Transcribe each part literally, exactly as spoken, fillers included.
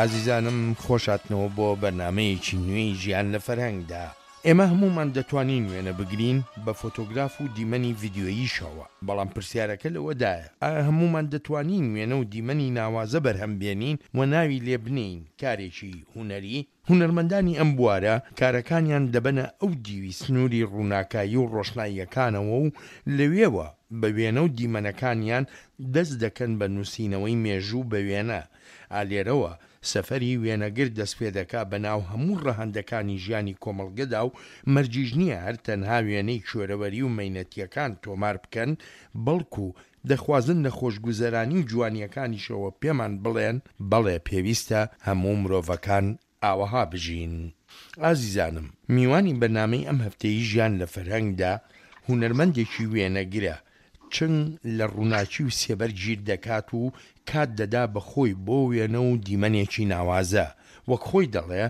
ئازیزانم خۆشاتنەوە بۆ بەرنامەیەکی نوێی ژیان لە فەرهەنگدا. ئێمە هەموومان دەتوانین وێنە بگرین بە فۆتۆگراف و دیمەنی ڤیدیۆییشەوە، بەڵام پرسیارەکە لەوەدایە ئایا هەموومان دەتوانین وێنە و دیمەنی ناوازە بەرهەم بێنین و ناوی لێ بنێین کارێکی هونەری؟ هونەرمەندانی ئەم بوارە کارەکانیان دەبەنە ئەو دیوی سنووری ڕووناکایی و ڕۆشناییەکانەوە و لەوێوە بە وێنە و دیمەنەکانیان دەست دەکەن بە نووسینەوەی مێژوو بە وێنە. ئا لێرەوە سەفەری وێنەگر دەست پێدەکا بە ناو هەموو ڕەهەندەکانی ژیانی کۆمەڵگەدا و مەرجیش نییە هەر تەنها وێنەی کوێرەوەری و مەینەتییەکان تۆمار بکەن بەڵکو دەخوازن لە خۆشگوزەرانی و جوانییەکانیشەوە پێمان بڵێن بەڵێ پێویستە هەموو مرۆڤەکان ئاوەها بژین. ئازیزانم میوانی بەرنامەی ئەم هەفتەی ژیان لە فەرهەنگدا هونەرمەندێکی وێنەگرە، چنگ لە ڕووناکی و سێبەر گیر دەکات و کات دەدا بە خۆی بۆ وێنە و دیمەنێکی ناوازە، وەک خۆی دەڵێ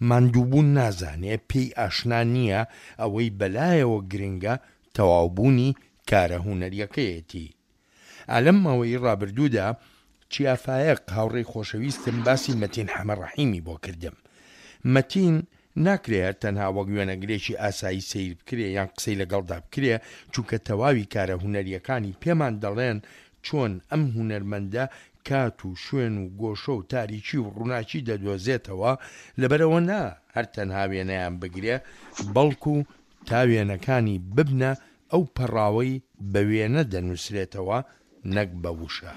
ماندووبوون نازانێ، پێی ئاشنا نییە، ئەوەی بەلایەوە گرنگە تەواوبوونی کارە هونەریەکەیەتی. ئا لەم ماوەی ڕابردوودا چیا فایەق هاوڕێی خۆشەویستم باسی مەتین حەمەڕەحیمی بۆ کردم. مەتین ناکرێ هەر تەنها وەک وێنەگرێکی ئاسایی سەیر بکرێ یان قسەی لەگەڵدا بکرێ، چونکە تەواوی کارە هونەریەکانی پێمان دەڵێن چۆن ئەم هونەرمەندە کات و شوێن و گۆشە و تاریکی و ڕووناکی دەدۆزێتەوە، لەبەرئەوە نا هەر تەنها وێنەیان بگرێ بەڵکو تا وێنەکانی ببنە ئەو پەڕاوەی بە وێنە دەنووسرێتەوە نەک بە وشە.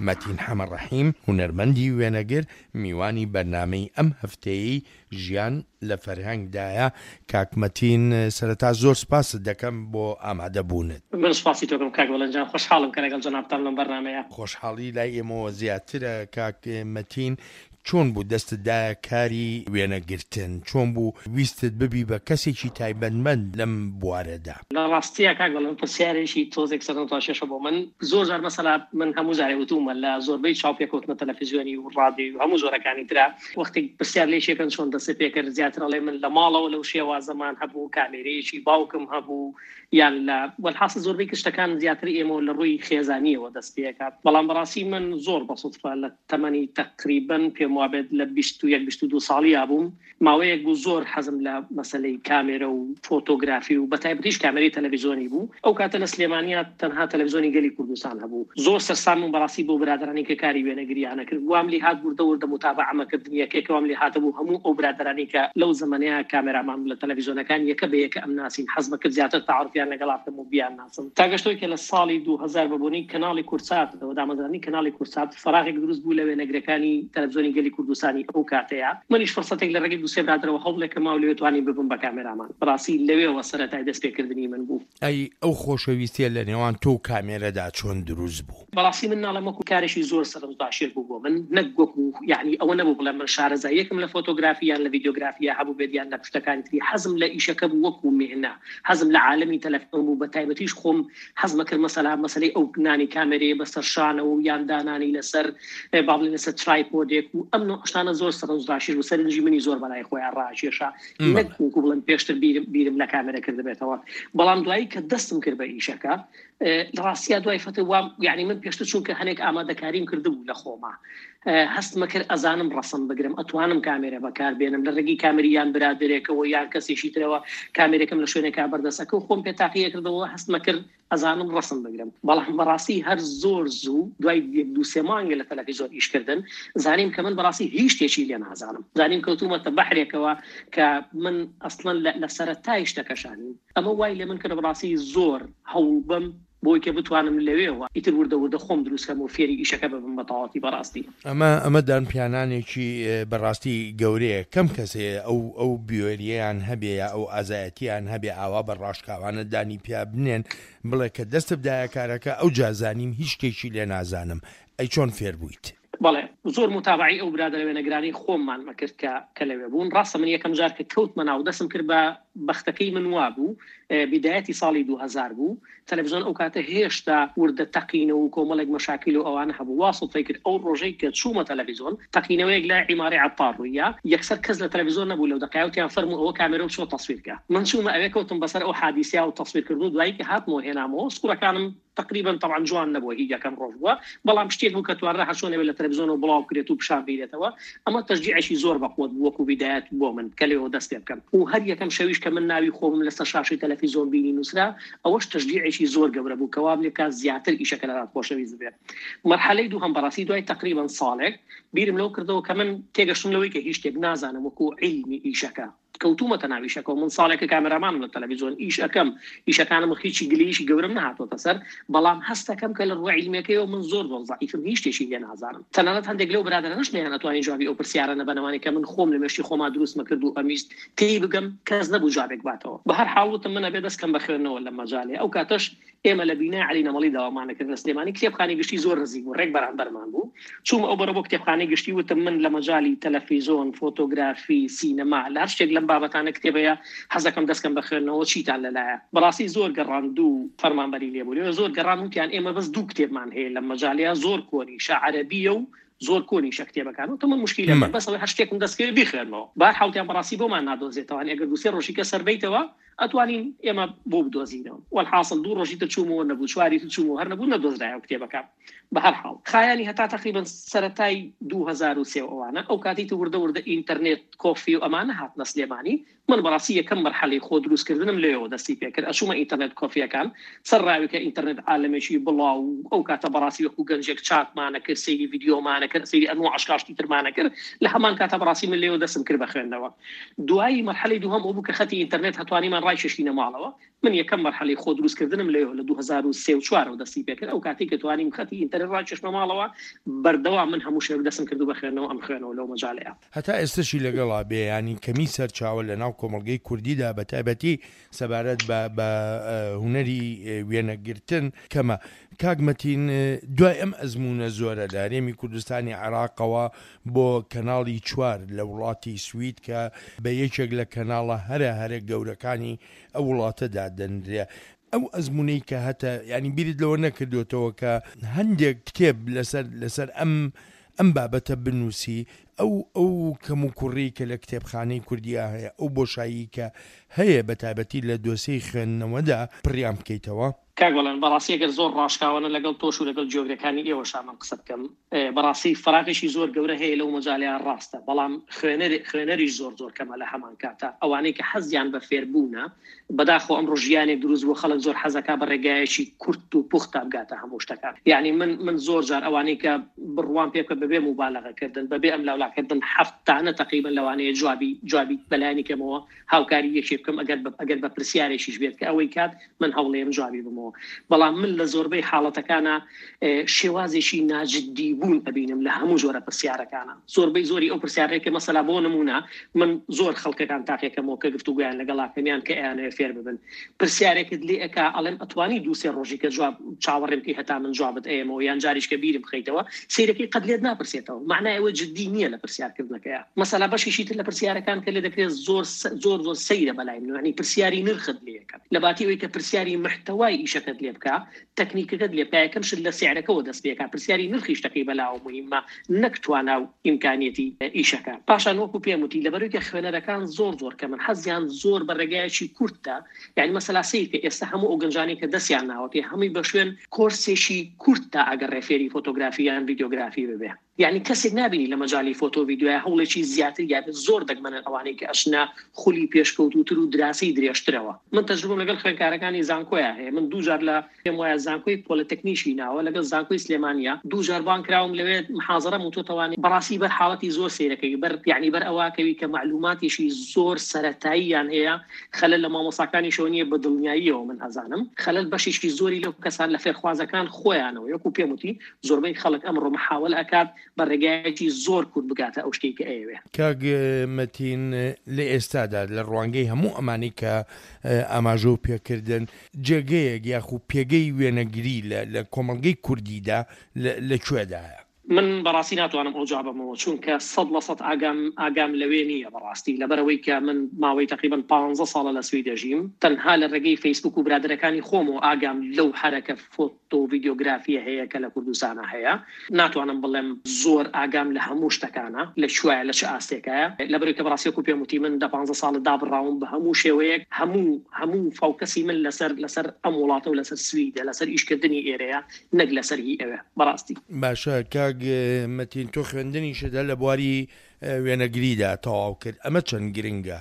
مەتین حەمەڕەحیم، هونەرمەندی وێنەگر، میوانی بەرنامەی ئەم هەفتەیەی ژیان لە فەرهەنگدایە. کاک مەتین، سەرەتا زۆر سپاست دەکەم بۆ ئامادەبوونت. من سپاسی تۆ کەم کاک بەڵێن جان، خۆشحاڵم کە لەگەڵ جەنابتام لەم بەرنامەیە. خۆشحاڵی لای ئێمەوە زیاترە کاک مەتین. چۆن بوو دەستت دایە کاری وێنەگرتن؟ چۆن بوو ویستت ببی بە کەسێکی تایبەتمەند لەم بوارەدا؟ لە ڕاستیا کاک بەڵێن پرسیارێکی تۆزێک سەرنجڕاکێشە بۆ من. زۆر جار مەسەلا من هەموو جارێ وتوومە لە زۆربەی چاوپێکەوتنە تەلەفزیۆنی و ڕادیۆی و هەموو جۆرەکانی ترا وەختێک پرسیار لێ شێکەن چۆن دەست پێ کرد، زیاتر ئەڵێ من لە ماڵەوە لەو شێوازەمان هەبوو، کامێرەیەکی باوکم هەبوو، یان لە وەلحاصل زۆربەی شتەکان زیاتر ئێمەوە لە ڕووی خێزانیەوە دەست پێکات. بەڵام بەڕاستی من زۆر بە سوتفە لە تەمەنی تقریبا پێم وابێت لە بیست و یەک بیست و دوو ساڵیا بووم، ماوەیەک بوو زۆر حەزم لە مەسەلەی کامێرە و فۆتۆگرافی و بەتایبەتیش کامێرەی تەلەڤیزیۆنی بوو. ئەو کاتە لە سلێمانیا تەنها تەلەڤیزیۆنی گەلی کوردستان هەبوو. زۆر سەرسام بووم بەڕاستی بۆ برادەرانی کە کاری وێنەگریانە کرد. وام لێ هات وردە وردە متابعەمە کردن یەکێک وام لێ هاتە بوو هەموو ئەو برادەرانی کە لەو زەمەنەیە کامێرامان لە تەلەڤیزیۆنەکان یەکە بە یەکە ئەم ناسین، حەزمە کرد زیاتر تعارفیان لەگەڵا بکەم و بیان ناسم. تا گەشتەوەی کە لە ساڵی دوو هەزار بە بۆنەی کەناڵی کورساتەوە دامەزرانی کەناڵی کورسات فراغێک دروست بوو لە وێنەگرەکانی تەلەڤیزیۆنی گەلی کوردستانی ئەو کاتەیە. منیش فرسەتێک لە ڕێگەی دوو سێ برادەرەوە هەوڵێکم ماو لەوێ توانیم ببم بە کامێرامان. بەڕاستی لەوێوە سەرەتای دەستپێکردنی من بوو. ئەی ئەو خۆشەویستیە لە نێوان تۆ و کامێرەدا چۆن دروست بوو؟ بەڕاستی من ناڵێم وەکو کارێکی زۆر سەرنجڕاکێش بوو بۆ من، نەک وەکو یعنی ئەوە نەبوو بڵێم من شارەزاییەکم لە فۆتۆگرافی یان لە ڤیدیۆگرافیە هەبوو بێت یان لە پشتەکانی تری. حەزم لە ئیشەکە بوو وەکو مهنە، حەزم لە عالەمی تەلەفۆن بوو، بە تایبەتیش خۆم حەزمە کرد مەسەلا مەسەلەی ئەو نانی کامێرەیە بەسەر شانەوە و یان دانانی لەسەر با بڵێین لەسەر ترایپۆدێک و ئەم نوع شتانە زۆر سەرنجڕاکێش بوو، سەرنجی منی زۆر بەلای خۆیان ڕاکێشا، نەک وەکو بڵێم پێشتر بیرم، بیرم لە کامێرە کردبێتەوە. بەڵام دوایی کە دەستم کرد بە ئیشەکە، لە ڕاستیا دوای فەتر وام، یعنی من پێشتر چونکە هەنێک ئامادەکاریم کردبوو لە خۆما، هەستمە کرد ئەزانم ڕەسم بگرم، ئەتوانم کامێرە بەکار بێنم لە ڕێگەی کامێری یان برادێکەوە یان کەسێکی ترەوە کامێرەکەم لە شوێنێکا بەردەستەکە و خۆم پێ تاقیە کردەوە، هەستمە کرد ئەزانم ڕەسم بگرم. بەڵام بەڕاستی هەر زۆر زوو دوای یەک دوو سێ مانگە لە تەلەڤیزیۆن ئیشکردن زانیم کە من بەڕاستی هیچ شتێکی لێ نازانم. زانیم کەوتوومەتە بەحرێکەوە کە من ئەسڵەن لە سەرەتای شتەکەشانیم. ئەمە وای لێ من کرد بەڕاستی زۆر هەوڵ بم بۆی کە بتوانم لەوێوە ئیتر وردە وردە خۆم دروست کەم و فێری ئیشەکە ببم بە تەواوەتی. بەڕاستی ئەمە ئەمە دانپیانانێکی بەڕاستی گەورەیە. کەم کەسێ ئەو ئەو بیۆریەیان هەبێ یا ئەو ئازایەتیان هەبێ ئاوا بە ڕاشکاوانە دانی پیا بنێن بڵێ کە دەستت بدایە کارەکە ئەو جازانیم هیچ شتێکی لێ نازانم. ئەی چۆن فێر بوویت؟ بەڵێ زۆر متابعی ئەو برادەرە وێنەگرانی خۆممان مەکرد کە کە لەوێ بوون. ڕاستە من یەکەم جار کە کەوتمە ناو دەستم کرد بە بەختەکەی من وا بوو، بیدایەتی ساڵی دوو هەزار بوو. تەلەڤیزیۆن ئەو کاتە هێشتا وردە تەقینەوە و کۆمەڵێک مەشاکیل و ئەوانە هەبوو. وا سوتفەی کرد ئەو ڕۆژەی کە چوومە تەلەڤیزیۆن تەقینەوەیەک لای عیمارەی عەتار ڕوویە، یەکسەر کەس لە تەلەڤیزیۆن نەبوو لەو دەقایەوتیان فەرموو ئەوە کامێرە و چۆ تەسویر کە. من چوومە ئەوێ کەوتم بەسەر ئەو حادیسیا و تەسویرکردن و دوایی کە هاتمەوە هێنامەوە سوورەکانم تقریبا طبعا جوان نەبووە، هی یەکەم ڕۆژ بووە، بەڵام شتێک بوو کە توانرا هەرچۆنێ لە تەلەڤیزیۆنەوە بڵاو بکرێت و پیشان بیرێتەوە. ئەمە تەشجیعێکی زۆر بەقوەت بوو وەکو بیدایەت بۆ من کە لێوە دەست پێ بکەم. و هەر یەکەم شەویش کە من ناوی خۆمم لەسەر شاشەی تەلەڤیزیۆن بینی نووسرا، ئەوەش تەشجیعێکی زۆر گەورە بوو کە وام لێ بکات زیاتر ئیشەکە لەلات خۆشەویست بێت. مەرحەلەی دووهەم بەڕاستی دوای تقریبا ساڵێک بیرم لەو کردەوە کە من تێگەشتم لەوەی کە هیچ شتێک نازانم وەکو عیلمی ئیشەکە، کەوتومەتە ناو ئیشەکەەوە. من ساڵێکە کامێرامانم لە تەلەڤیزیۆن ئیش ئەەکەم، ئیشەکانم هیچی گلەییشی گەورەم نەهاتۆتە سەر، بەڵام هەستەکەم کە لە ڕووی عیلمیەکەیەوە من زۆر زۆر زەعیفم، هیچ شتێکی لێ نازانم. تەنانەت هەندێک لەو برادەرانەش نەیانەتوانی جوابی ئەو پرسیارە نەبەنەوانی کە من خۆم لە مێشکی خۆما دروستمە کرد و ئەمیست تێی بگەم، کەس نەبوو جوابێک باتەوە. بە هەر حاڵ وتم من ئەبێ دەست کەم بە خوێندنەوە لە مەجالێ. ئەو کاتەش ئێمە لە بینای عەلی نەمەڵی داوامانە کرد لە سلێمانی، کتێبخانەی گشتی زۆر نزیک بوو، ڕێک بەرامبەرمان بوو. چوومە ئەو بەرە بۆ کتێبخانەی گشتی، وتم من لە مەجالی تەلەفیزۆن، فۆتۆگرافی، سینەما، لە هەر شتێک لەم بابەتانە کتێبەیە حەزەکەم دەستکەم بە خوێندنەوە، چیتان لەلایە؟ بەڕاستی زۆر گەڕان دوو فەرمانبەری لێبوو لێوە زۆر گەڕان، وتیان ئێمە بەس دوو کتێبمان هەیە لەم مەجالەیە، زۆر کۆنیشە، عەرەبیە و زۆر کۆنیشە کتێبەکان. وتم من مشکیلە مە. بەس ئەوەی هەر شتێکم دەستکەوێت بیخوێنمەوە. بە هەر حاڵتیان بەڕاستی بۆمان نادۆزێتەوە، ئەگەر دوو سێ ڕۆژی کە سەر بەیتەوە ئەتوانین ئێمە بۆ بدۆزینەوە. وەلحاصل دوو ڕۆژی تر چوومەوە نەبوو، چواری تر چوومەوە هەر نەبوو، نەدۆزرایەوە کتێبەکە. بە هەر حاڵ خایانی هەتا تقریبا سەرەتای دوو هەزار و سێ ئەوانە، ئەو کاتەی تر وردە وردە ئینتەرنێت کۆفی و ئەمانە هاتنە سلێمانی، من بەڕاستی یەکەم مەرحەلەی خۆ دروستکردنم لێەوە دەستی پێکرد. ئەچوومە ئینتەرنێت کۆفیەکان، سەر ڕاوی کە ئینتەرنێت عالەمێکی بڵاو، ئەو کاتە بەڕاستی وەکو گەنجێک چاتمانە کرد، سەیری ڤیدیۆمانە کرد، سەیری ئەنواع ئەشکاشتی ترمانە کرد. لە هەمان کاتە بەڕاستی من لێەوە دەستم کرد بە خوێندنەوە. دوایی مەرحەلەی دووهەم ئەو بوو کە خەتی ئینتەرنێت هەتوانیمان ڕایکێشینە ماڵەوە. من یەکەم مەرحەلەی خۆ دروستکردنم لێەوە لە دوو هەزار و سێ و چوارەوە دەستی پێکرد. ئەو کاتێک کە توانیم خەتی ئینتەرنێت ڕایکێشمە ماڵەوە، بەردەوام من هەموو شێوەک دەستم کردو بە خوێندنەوە، ئەم خوێنەوە لەو مەجالەیە. هەتا ئێستاشی لەگەڵا بێ، ینی کەمی سەرچاوە لە ناو کۆمەڵگەی کوردیدا بە تایبەتی سەبارەت بە، بە هونەری وێنەگرتن کەمە. کاک مەتین، دوای ئەم ئەزمونە زۆرە لە هەرێمی کوردستانی عێراقەوە بۆ کەناڵی چوار لە وڵاتی سوید کە بە یەکێک لە کەناڵە هەرە هەرە گەورەکانی ئەو وڵاتەدا دەنرێ، ئەو ئەزمونەی کە هەتە، ینی بیرت لەوە نەکردوێتەوە کە هەندێک کتێب لەسەر، لەسەر ئەم، ئەم بابەتە بنووسی، ئەو، ئەو کەم و کوڕی کە لە کتێبخانەی کوردیا هەیە، ئەو بۆشایی کە هەیە بە تایبەتی لە دۆسیەی خوێندنەوەدا پڕیان بکەیتەوە؟ کاک بەڵێن، بەڕاستی ئەگەر زۆر ڕاشکاوانە لەگەڵ تۆش و لەگەڵ جیۆگرەکانی ئێوەشا من قسە بکەم، بەڕاستی فراغێکی زۆر گەورە هەیە لەو مەجالەیان ڕاستە، بەڵام خوێنەر، خوێنەریش زۆر زۆر کەمە لە هەمان کاتە. ئەوانەی کە حەزیان بە فێربوونە، بەداخەوە ئەمڕۆ ژیانێک دروست بوو، خەڵک زۆر حەزەکا بە ڕێگایەکی کورت و پوختا بگاتە هەموو شتەکان. یعنی من، من زۆر جار ئەوانەی کە بڕوان پێ بکە بەبێ موبالغەکردن، بەبێ ئەم لاولاکردن، هەفتانە تقریبا لەوانەیە جوابی، جوابی بەلایەنی کەمەوە هاوکاری یەکێ بکەم، ئەگەر بە-، ئەگەر بە پرسیارێکیش بێت کە ئەوەی کات من هەوڵێم جوابی بمەوە. بەڵام من لە زۆربەی حاڵەتەکانە، ئێ، شێوازێکی ناجدی بوون ئەبینم لە هەموو جۆرە پرسیارەکانە. زۆربەی زۆری ئەو پرسیارەیە کە مەسەلا بۆ نمونە من زۆر خەڵکەکان تاقیەکەمەوە کە گفتوگویان لەگەڵاکەمیان کە ئەیانەوێ فێر ببن، پرسیارێکت لێ ئەکا ئەڵێم ئەتوانی دوو سێ ڕۆژی کە جواب چاوەڕێم بکەی هەتا من جوابت ئەیەمەوە، یان جاریش کە بیرم بخەیتەوە، سەیرەکەی قەت لێت ناپرسێتەوە. معنای ئەوە جدی نییە لە پرسیارکردنەکەیە. مەسەلا بەشیشی تر لە پرسیارەکان کە لێ دەکرێت زۆر س-، زۆر زۆر سەیرە بەلای من، یعنی پرسیاری نرخت لێ ئەکات لە باتی ئەوەی کە پرسیاری محتەوای ئیشەکەت لێ بکا، تەکنیکەکەت لێ بکا، یەکەم شت لە سعرەکەوە دەست پێکا، پرسیاری نرخی شتەکەی بەلاوە مهمە نەک توانا و ئیمکانیەتی ئیشەکە. پاشان وەکو پێم وتی لەبەرەوەی کە خوێنەرەکان زۆر زۆر کەمن، حەزیان زۆر بە ڕێگایەکی کورتە. یعنی مەسەلا سەیر کە ئێستا هەموو ئەو گەنجانەی کە دەستیان ناوەتێ هەمووی بە شوێن کۆرسێکی کورتە ئەگەر ڕێفێری فۆتۆگرافی یان ڤیدیۆگرافی ببێ. یعنی کەسێک نابینی لە مەجالی فۆتۆ ڤیدیۆیا هەوڵێکی زیاتر یابێت، زۆر دەگمەنن ئەوانەی کە ئەشنا خولی پێشکەوتوتر و دراسی درێژترەوە. من تەجروبەم لەگەڵ خوێندکارەکانی زانکۆیا هەیە، من دوو جار لە پێم وایە زانکۆی پۆلیتەکنیشی ناوە لەگەڵ زانکۆی سلێمانیا دوو جار بان کراوم لەوێ محاضرەم وتوتەوانی. بەڕاستی بەر حاڵەتی زۆر سەیرەکەی، بەر یعنی بەر ئەوواکەوی کە معلوماتێکی زۆر سەرەتاییان هەیە، خەلەل لە مامۆساکانیشەوە نییە بە دڵنیاییەوە من ئەزانم، خەلەل بەشێکی زۆری لەو کەسان لە فێرخوازەکان خۆیانەوە. یەکو پێم وتی زۆربەی خەڵک ئەمڕۆ محاولە ئەکات بە ڕێگایەکی زۆر کورت بگاتە ئەو شتێک کە ئەیەوێ. کاک مەتین، لە ئێستادا لە ڕوانگەی هەموو ئەمانەی کە ئاماژە و پێکردن، جێگەیەک یاخو پێگەی وێنەگری لە، لە کۆمەڵگەی کوردیدا لە، لە کوێدایە؟ من بەڕاستی ناتوانم ئەو جوابەمەوە، چونکە سەد لە سەد ئاگام ئاگام لەوێ نییە بەڕاستی، لەبەرەوەی کە من ماوەی تقریبا پانزە ساڵە لە سوید دەژیم، تەنها لە ڕێگەی فەیسبوک و برادەرەکانی خۆمەوە ئاگام لەو حەرەکە فۆتۆ ڤیدیۆگرافیە هەیە کە لە کوردستانە هەیە. ناتوانم بڵێم زۆر ئاگام لە هەموو شتەکانە لە کوایە لە چ ئاستێکایە، لەبەرەوەی کە بەڕاستی وەکو پێم وتی من دە پانزە ساڵە دابڕاوم بە هەموو شێوەیەک، هەموو هەموو focus ی من لەسەر لەسەر ئەم وڵاتە و لەسەر سویدە، لەسەر ئیشکردنی ئێرەیە نەک لەسەر هی ئەوێ بەڕاستی. باشە کاک مەتین، تۆ خوێندنیشت هەر لە بواری وێنەگریدا تەواو کرد، ئەمە چەند گرنگە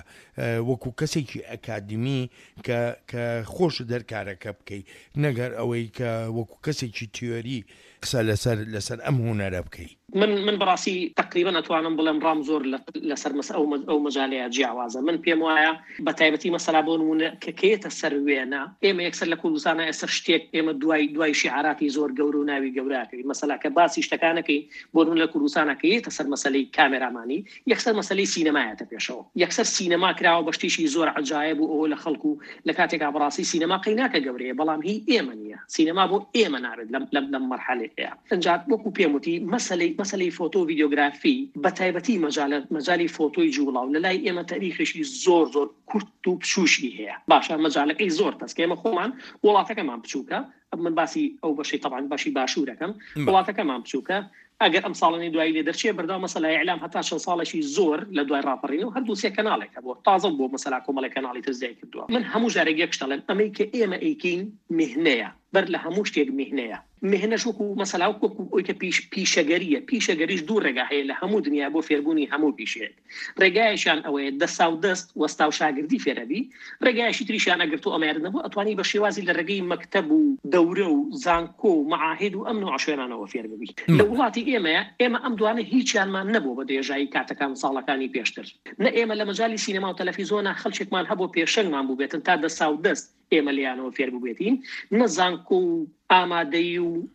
وەکو کەسێکی ئەکادمی کە کە خۆش دەرکارەکە بکەی، نەگەر ئەوەی کە وەکو کەسێکی تیۆری قسە لەسەر لەسەر ئەم هونەرە بکەی؟ من من بەڕاستی تقریبا ئەتوانم بڵێم ڕام زۆر لەسەر مەس ئەو ئەو مەجالەیە جیاوازە. من پێم وایە بە تایبەتی مەسەلا بۆ نمونە کە کێتە سەر وێنە، ئێمە یەکسەر لە کوردستانە ئێستا شتێک ئێمە دوای دوای شیعاراتی زۆر گەورە و ناوی گەورەکەین، مەسەلا کە باسی شتەکانەکەین بۆ نمونە لە کوردستانە کە یێتە سەر مەسەلەی کامێرامانی، یەکسەر مەسەلەی سینەمایەتە پێشەوە، یەکسەر سینەما کراوە بە شتێکی زۆر عەجایب و ئەوە لە خەڵک و لە کاتێکا بەڕاستی سینەما قەی ناکە گەورەیە، بەڵام هی ئێمە نییە، سینەما بۆ ئێمە نابێت لەم لەم لەم مەرحەلەیە. ئینجا وەکو پێم وتی مەسەلەی مەسەلەی فۆتۆ و ڤیدیۆگرافی بە تایبەتی مەجالە مەجالی فۆتۆی جوڵاو لە لای ئێمە تاریخێکی زۆر زۆر کورت و بچووشی هەیە. باشە مەجالەکەی زۆر تەسکە، ئێمە خۆمان وڵاتەکەمان بچووکە، من باسی ئەو بەشەی طبعا بەشی باشوورەکەم، وڵاتەکەمان بچووکە، ئەگەر ئەم ساڵانی دوایی لێ دەرچێ بەردەوام مەسەلا ئیعلام هەتا چەند ساڵێکی زۆر لە دوای ڕاپەڕین و هەر دوو سێ کەناڵێک هەبووە، تازە بۆ مەسەلا کۆمەڵێک کەناڵی تر زیای کردووە. من هەموو جارێک یەک شت ئەڵێم، ئەمەی کە ئێمە ئەیکەین مهنەیە، بەر لە هەموو شتێک مهنەیە. مهنەش وەکو مەسەلا وەکو ئەوەی کە پیش پیشەگەریە، پیشەگەریش دوو ڕێگا هەیە لە هەموو دنیا بۆ فێربوونی هەموو پیشەیەک. ڕێگایەکیان ئەوەیە دەسا و دەست وەستا و شاگردی فێرەبی، ڕێگایەکی تریشیان ئەگەر تۆ ئەمەیارت نەبوو ئەتوانی بە شێوازی لە ڕێگەی مەکتەب و دەورە و زانکۆ و مەعاهد و ئەم نوع شوێنانەوە فێر ببی. لە وڵاتی ئێمەیە ئێمە ئەم دوانە هیچیانمان نەبوو بە درێژایی کاتەکان ساڵەکانی پێشتر. نە ئێمە لە مەجالی سینەما و تەلەفیزیۆنە خەڵکێکمان هەبوو پێشەنگمان بوو بێتن تا دەسا و دەست ئێمە لیانەوە فێر بووبێتین، نە زانکۆ و ئامادەیی و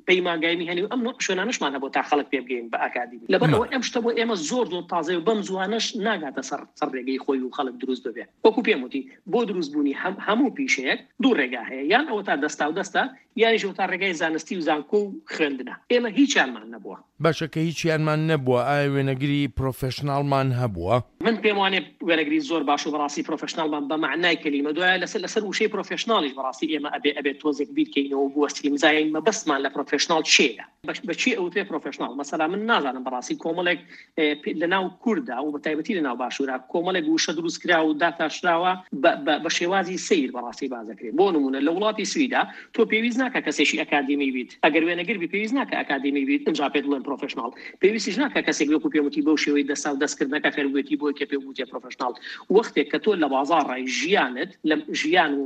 پەیمانگای میهەنی و ئەم نوع شوێنانەشمان هەبوو تا خەڵک پێ بگەین بە ئەکادیمی. لەبەر ئەوەی ئەم شتە بۆ ئێمە زۆر زۆر تازەیە و بەم زوانەش ناگاتە سەر سەر ڕێگەی خۆی و خەڵک دروست ببێ. وەکو پێم وتی بۆ دروستبوونی هەموو پیشەیەک دوو ڕێگا هەیە، یان ئەوە تا دەستا و دەستە، یانیش ئەوە تا ڕێگای زانستی و زانکۆ و خوێندنە. ئێمە هیچیانمان نەبووە. باشە کە هیچیانمان نەبووە، ئایا وێنەگری professional مان هەبووە؟ من پێم وانێ وێنەگری زۆر باش و بەڕاستی professional مان بە مەعنای کەلیمە. دوایە لەسەر لەسەر وشەی professional یش بەڕاستی ئێمە ئەبێ ئەبێ تۆزێک بیرکەینەوە و بوەستین بزانین مەبەستمان لە professional چییە، بە چی ئەوترێ professional. مەسەلا من نازانم بەڕاستی کۆمەڵێک لەناو کووردا و بە تایبەتی لەناو باشوورا کۆمەڵێک وشە دروست کرا و داتاشراوە بە شێوازی سەیر بەڕاستی باز دەکرێت. بۆ نمونە لە وڵاتی سویدا تۆ پێویست ناکە کەسێکی ئەکادیمی بیت، ئەگەر وێنەگر بی پێویست ناکە ئەکادیمی بیت ئینجا پێت بڵێن professional. پێویستیش ناکە کەسێک وەکو پێم وتی بەو شێوەی دەسا و دەستکردنەکە فێربووێتی بۆی کە پێ بوتێ professional. وەختێک کە تۆ لە بازاڕای ژیانت لە ژیان و